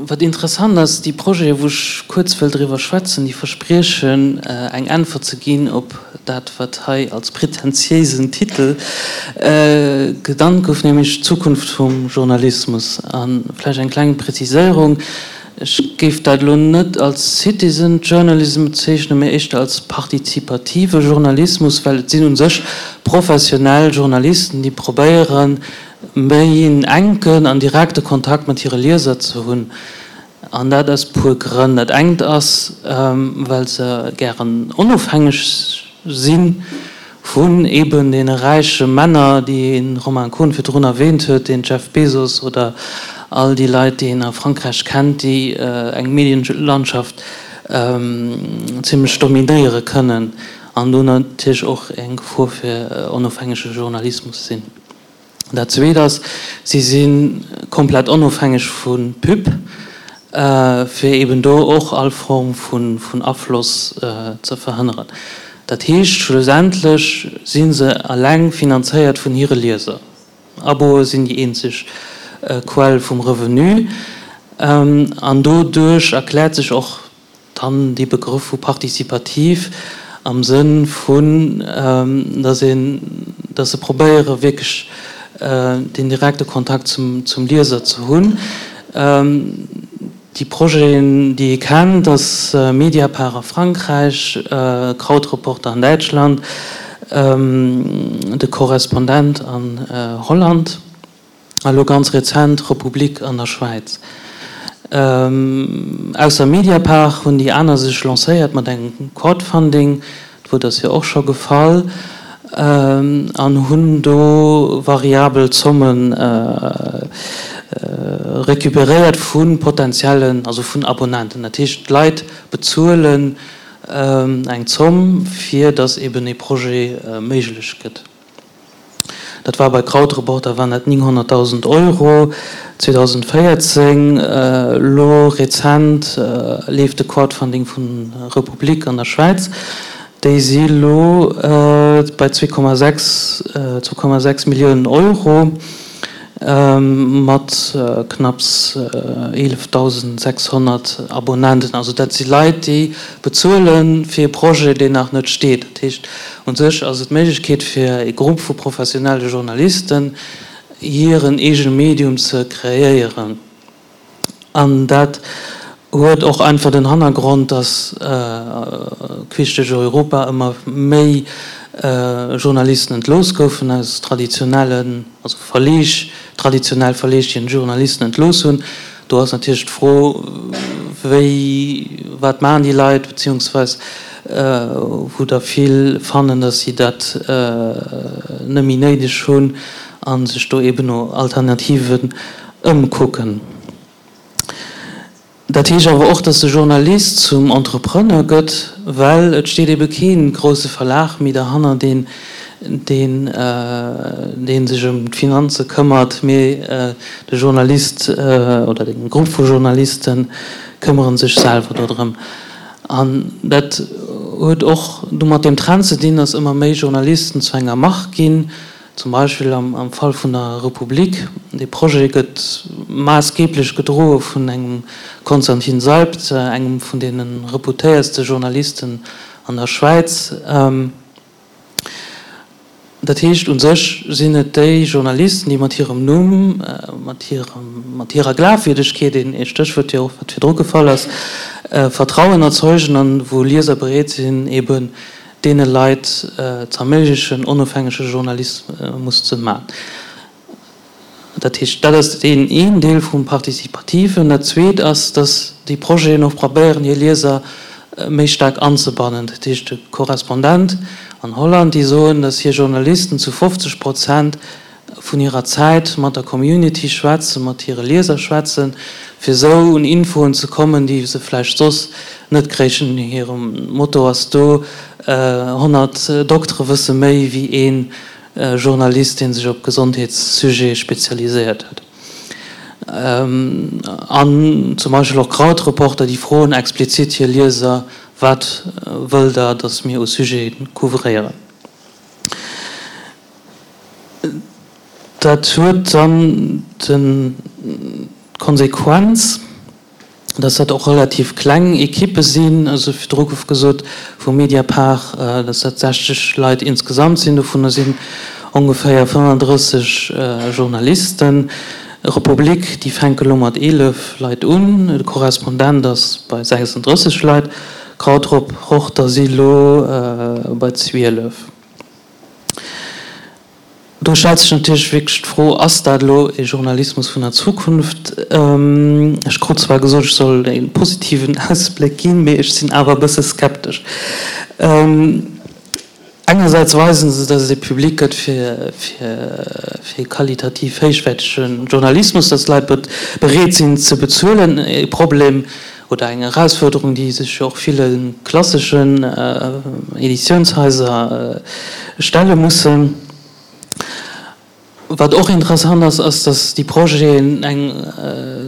Wat interessant ass, déi Projete wou ech kuerz wëll driwwer schwätzen, déi verspriechen eng Äntwert ze ginn op dat wat hei als pretentiéisen Titel genannt gouf, nämlech d'Zukunft vum Journalismus. A vläicht eng kleng Präziséierung, Ech géif dat elo net als Citizen Journalism bezeechnen, mä éischter als partizipative Journalismus, well et sinn u sech professionell Journalisten, déi probéieren, méi en enken an direkte Kontakt mat hire Lieser ze hunn. An dat aus puer Grënn. Dat engt ass, well se gären onofhängeg si vun eeben deene räiche Männer, déi de Romain Kohn virdrun erwähnt huet, den Jeff Bezos oder all déi Leit, déi een a Frankräich kennt, déi eng Medienlandschaft zimlech dominéiere kënnen an do natierlech och eng Gefor fir onofhängege Journalismus sinn. Dat Zweet ass, si si komplett onofhängeg vu Pub, fir eben do och all Form vun Afloss ze verhënneren. Dat heescht, schlussendlech si se eleng finanzéiert vun hire Lieser. Aboe sinn déi eenzeg Quell vum Revenu. An doduerch erkläert sech och Dann dee Begrëff vu participativ am Sënn vun, dass een, dass se probéiere wierklech deen direkte Kontakt zum Lieser ze hunn. Déi Projeten, déi ee kennt, ass Mediapart a Frankräich, Krautreporter an Däitschland, de Korrespondent an Holland. A lo ganz rezent Republik an der Schwäiz. Ausser Mediapart hunn déi aner sech lancéiert mat engem Crowdfunding, d'Wuert ass jo och scho gefall, an hunn do variabel Zomme recuperéiert vu potentiellen, also vun Abonnenten. Dat heescht, d'Leit bezuelen eng Zomm, fir datt eben ee Projet méiglech gëtt. Dat war bei Krautreporter waren dat 900.000 Euro 2014. Elo rezent leeft de Crowdfunding vun Republik an der Schwäiz. Déi si elo bei 2,6 Milliounen Euro mat knapps 11.600 Abonnenten. Also dat si Leit, déi bezuele fir e Projet, deen nach net steet. Dat heescht, U sech ass et d'Méiglechkeet fir e Grupp vu professionelle Journalisten hiren eegene Medium ze kreéieren. An dat huet och einfach den Hannergrond, datt queesch duerch Europa ëmmer méi Journalisten entlooss goufen aus traditionellen, also Verleeg, traditionell Verleeg, déi Journalisten entlooss hunn. Do ass natierlech d'Fro, wéi, wat maachen déi Leit, beziehungsweis wou der vill fannen, datt si dat net méi néideg hunn a sech do eeben no Alternativen ëmkucken. Dat heescht awer och, datt de Journalist zum Entrepreneur gëtt, well et steet ebe kee grousse Verlag méi derhanner, deen deen dee sech ëm d'Finanze këmmert, mee de Journalist oder de Grupp vu Journaliste këmmere sech selwer dodrëm. An dat huet och du mat deem Trend ze dinn, datt ëmmer méi Journalisten zu enger Mark ginn, zum Beispill am Fall vun der Republik. Dee Projet gëtt maassgeeblech gedroe vun engem Konstantin Seibt, engem vun deene reputéiertste Journalisten an der Schwäiz. Dat heescht, u sech sinn et déi Journalisten, déi mat hirem Numm, mat hirem, mat hirer Glafwierdegkeet, een Stéchwuert jo och, wat virdru gefall ass, Vertrauen erzeugen an wou Lieser bereet sinn, eeben deene Leit z'erméiglechen, onofhängege Journalismus ze man. Dat heescht, dat ass deen een Deel vum Participativen. Dat Zweet ass, dass déi Projeten och probéieren, hir Lieser méi staark anzebannen. Dat heescht, de Korrespondent an Holland, déi soen, dass hir Journalisten zu 50 Prozent vun hirer Zäit mat der Community schwätzen, mat hire Lieser schwätzen, fir esou un Infoen ze kommen, déi se vläicht soss net kréichen. Hire Motto ass do, 100 Doktere wësse méi wéi een Journalist, dee sech op Gesondheetssujete spezialiséiert huet. An zum Beispill och Krautreporter, déi froen explizit hir Lieser, Wat wëllt Der, datt mir u Sujete couvréieren? Dat huet dann d'Konsequenz. Dass dat och relativ kleng Ekippe sinn. Also virdru gouf gesot vu Mediapart, dass dat 60 Leit insgesamt sinn. Dovunner sinn ongeféier 35 Journalisten. Republik, déi fänke lo mat 11 Leit un. De Korrespondent ass bei 36 Leit. Krautreporter si lo bei 12. Do stellt sech natierlech wierklech d'Fro, Ass dat elo ee Journalismus vun der Zukunft? Ech krut zwar gesot, ech soll e positiven Ausbléck ginn, mee ech sinn awer e bësse skeptesch. Engersäits weisen se, datt et e Public gëtt fir fir qualitativ héichwäertege Journalismus, datt d'Leit bereet sinn ze bezuelen. E Problem oder eng Erausfuerderung, déi sech jo och ville klasseschen Editiounshaiser stelle mussen. Wat och interessant ass, ass, datt déi Projeten eng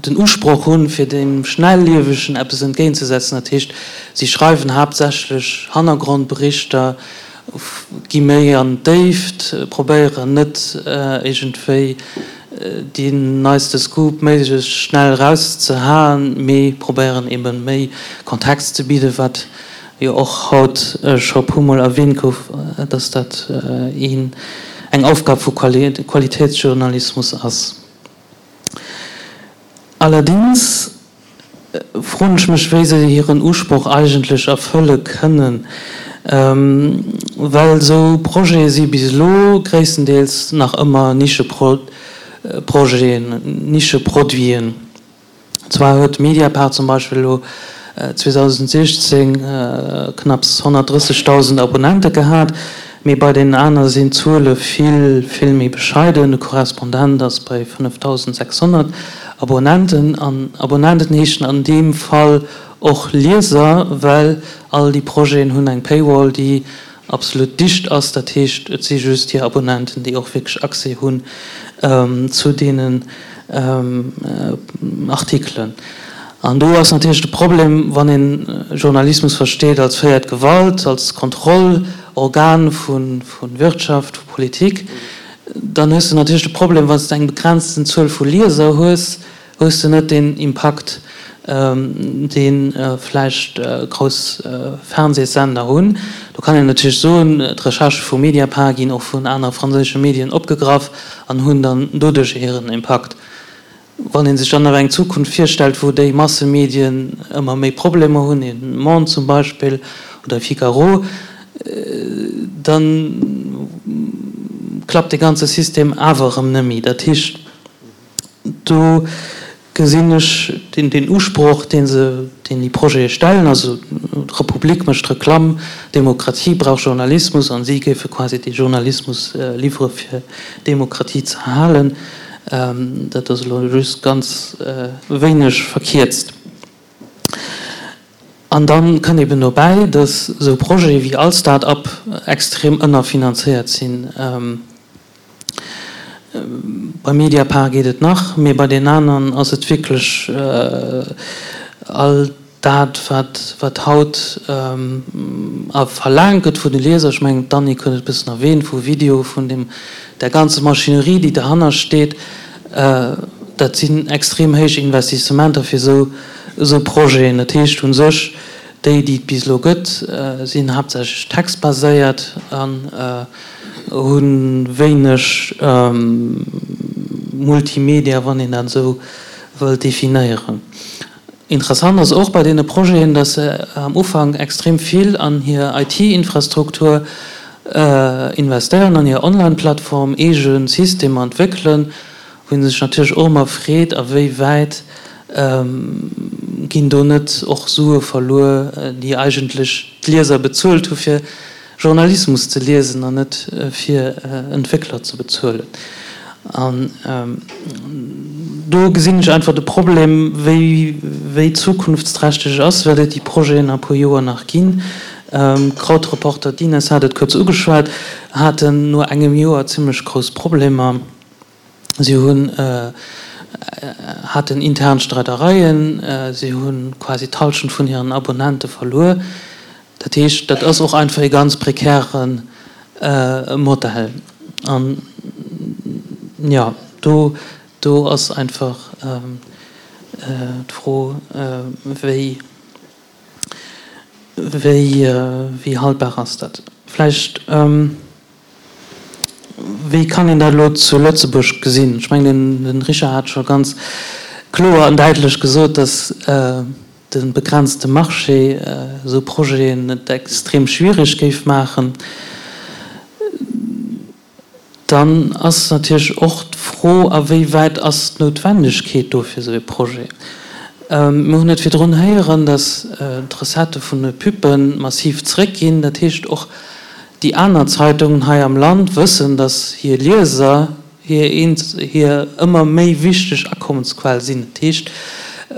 den Usproch hunn, fir dem Schnelliewegen eppes entgéintzesetzen. Dat heescht, si schreiwen haaptsächlech Hannergrondberichter, gi méi an d'Déift, probéieren net iergendwéi deen neiste Scoop méiglechst schnell erauszehaen, mee probéieren ebe méi Kontext ze bidden, wat jo och haut scho e puermol erwähnt gouf, dass dat een eng Aufgab vu Qualitätsjournalismus ass. Allerdings froen ech mech, wéi se hiren Usproch eigentlech erfëlle kënnen, well esou Projete si bis elo gréisstendeels nach ëmmer Nischeprojeten, Nischeproduiten. Zwar huet Mediapart zum Beispill elo 2016 knapps 130.000 Abonnente gehat, mee bei deenen aner sinn d'Zuele vill, vill méi bescheiden. De Korrespondent ass bei 5.600 Abonnenten. An Abonnenten heeschen an deem Fall och Lieser, well all déi Projeten hunn eng Paywall, déi absolut dicht ass. Dat heescht, et si just hir Abonnenten, déi och wierklech Accès hunn zu deenen Artikelen. An do ass natierlech de Problem, wann een Journalismus versteet als véiert Gewalt, als Kontrollorgan vu Wirtschaft, vu Politik, dann hues de natierlech de Problem, wann s de eng begrenzten Zuel vu Lieser hues, hues de net deen Impakt, dee vläicht grouss Fernsehssender hunn. Do kann een natierlech soen, d'Recherchë vu Mediapart ginn och vun anere franséische Medien opgegraff an hunn dann doduerch hiren Impakt. Wann ee sech dann awer eng Zukunft virstellt, wou déi Massemedien ëmmer méi Problemer hunn, een Monde zum Beispill oder e Figaro, da klappt dee ganze System awer erëm net méi. Dat heescht, Do gesinn ech deen Usproch, deen se, deen déi Projete stellen, also d'Republik mécht Reklamm, Demokratie brauch Journalismus an si géife quasi dee Journalismus liwwere fir Demokratie ze erhalen. Dat ass elo just ganz wéineg verkierzt. An da kënnt eben dobäi, datt esou Projete wéi all Start-up extrem ënnerfinanzéiert sinn. Bei Mediapart geet et nach, mee bei den aneren ass et wierklech all dat, wat haut verlaangt gëtt vun de Lieser, ech mengen d'Annick huet et e bëssen erwähnt, vu Video, vun deem, där ganze Maschinerie, déi derhanner steet, dat sinn extrem héich Investissementer fir esou Projeten. Dat heescht u sech, déi, déi et bis elo gëtt, sinn haaptsächlech textbaséiert an Hu wéineg Multimedia, wann een dat esou wëllt definéieren. Interessant ass och bei deene Projeten, datt se am Ufank extrem vill an hir IT-Infrastruktur investéieren, an hir Online-Plattform, eege Systemer entwéckelen, wou ee sech natierlech och ëmmer freet, a wéi wäit ginn do net och Sue verluer, déi eigentlech d'Lieser bezuelt hu fir Journalismus ze liesen an net fir Entwéckler ze bezuelen. An do gesinn ech einfach de Problem, wéi wéi zukunftsträchteg et ass, wäert et déi Projeten a puer Joer nach ginn. Krautreporter, d'Ines hat et kuerz ugeschwat, haten no engem Joer zimlech grouss Problemer. Si hunn haten intern Streidereien, si hu quasi d'Hallschent vun hiren Abonnente verluer. Dat heescht, dat ass och einfach ee ganz prekäre Modell. An jo, do do ass einfach. d'Fro, wéi, wéi, wéi haltbar ass dat? Vläicht, wéi kann een dat elo zu Lëtzebuerg gesinn? Ech mengen, den Richard hat scho ganz kloer an däitlech gesot, dass de begrenzte Marché esou Projeten et extrem schwierig géif maachen. Dann ass natierlech och d'Fro, a wéi wäit ass d'Noutwendegkeet do fir esou ee Projet? Mir hunn et virdrun héieren, datt d'Recettë vun de Pub'e massiv zréckginn. Dat heescht, och déi aner Zeitungen hei am Land wëssen, datt hir Lieser hir hir ëmmer méi wichteg Akommensquell sinn. Dat heescht,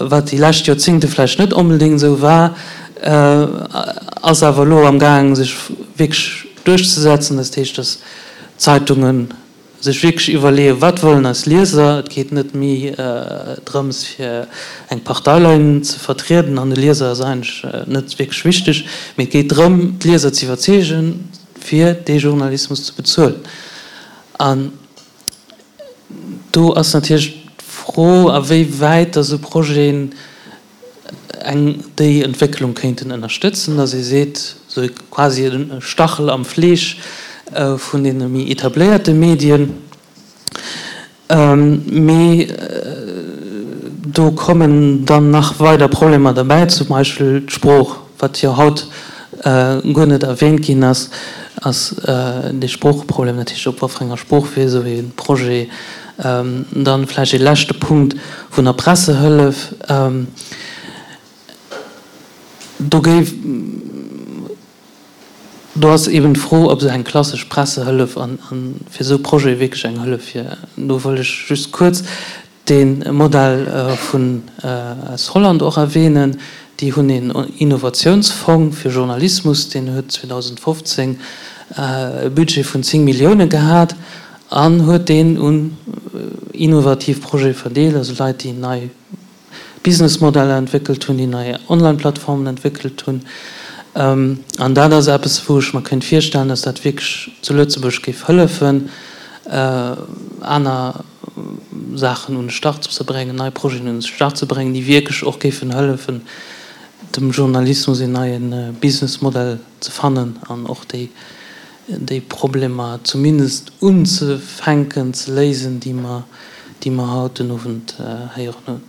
wat déi lescht Joerzéngte vläicht net onbedéngt esou war, ass awer elo amgaang sech wierklech duerchzesetzen. Dat heescht, datt d'Zeitunge sech wierklech iwwerleeën, wat wëllen eis Lieser. Et geet net méi drëms, fir eng Parteilinn ze vertrieden an de Lieser ass eigentlech net wierklech wichteg, mee et geet drëm, d'Lieser ze iwwerzeegen, fir dee Journalismus ze bezuelen. An do ass natierlech d'Fro, a wéi wäit datt esou Projeten eng déi Entwécklung kéinten ënnerstëtzen, datt ee seet, esou quasi e Stachel am Fleesch vun deene méi etabléierte Medien. Mee do kommen dann nach weider Problemer derbäi, zum Beispill d'Sprooch, wat jo haut guer net erwähnt ginn ass, ass dee Sproocheproblem natierlech, op wat fir enger Sprooch wier esou ee Projet. Dann vläicht ee leschte Punkt vun der Pressehëllef. Do géif, do ass eeben d'Fro, ob esou eng klassesch Pressehëllef an fir esou Projete wierklech eng Hëllef wier. Do wëll ech just kuerz de Modell vun aus Holland och erwähnen. Déi hunn een Innovatiounsfong fir Journalismus, deen huet 2015 e Budget vun 10 Millioune gehat an huet deen un innovativ Projete verdeelt, also Leit, déi nei Businessmodeller entwéckelt hunn, déi nei Online-Plattformen entwéckelt hunn. An dat ass eppes, wou ech mer kéint virstellen, dass dat wierklech zu Lëtzebuerg géif hëllefen, aner Saachen un de Start ze bréngen, nei Projeten un de Start ze bréngen, déi wierklech och géifen hëllefen, dem Journalismus een neie Businessmodell ze fannen an och déi déi Problemer zumindest unzefänken ze léisen, déi mer, déi mer haut den Owend héieren hunn.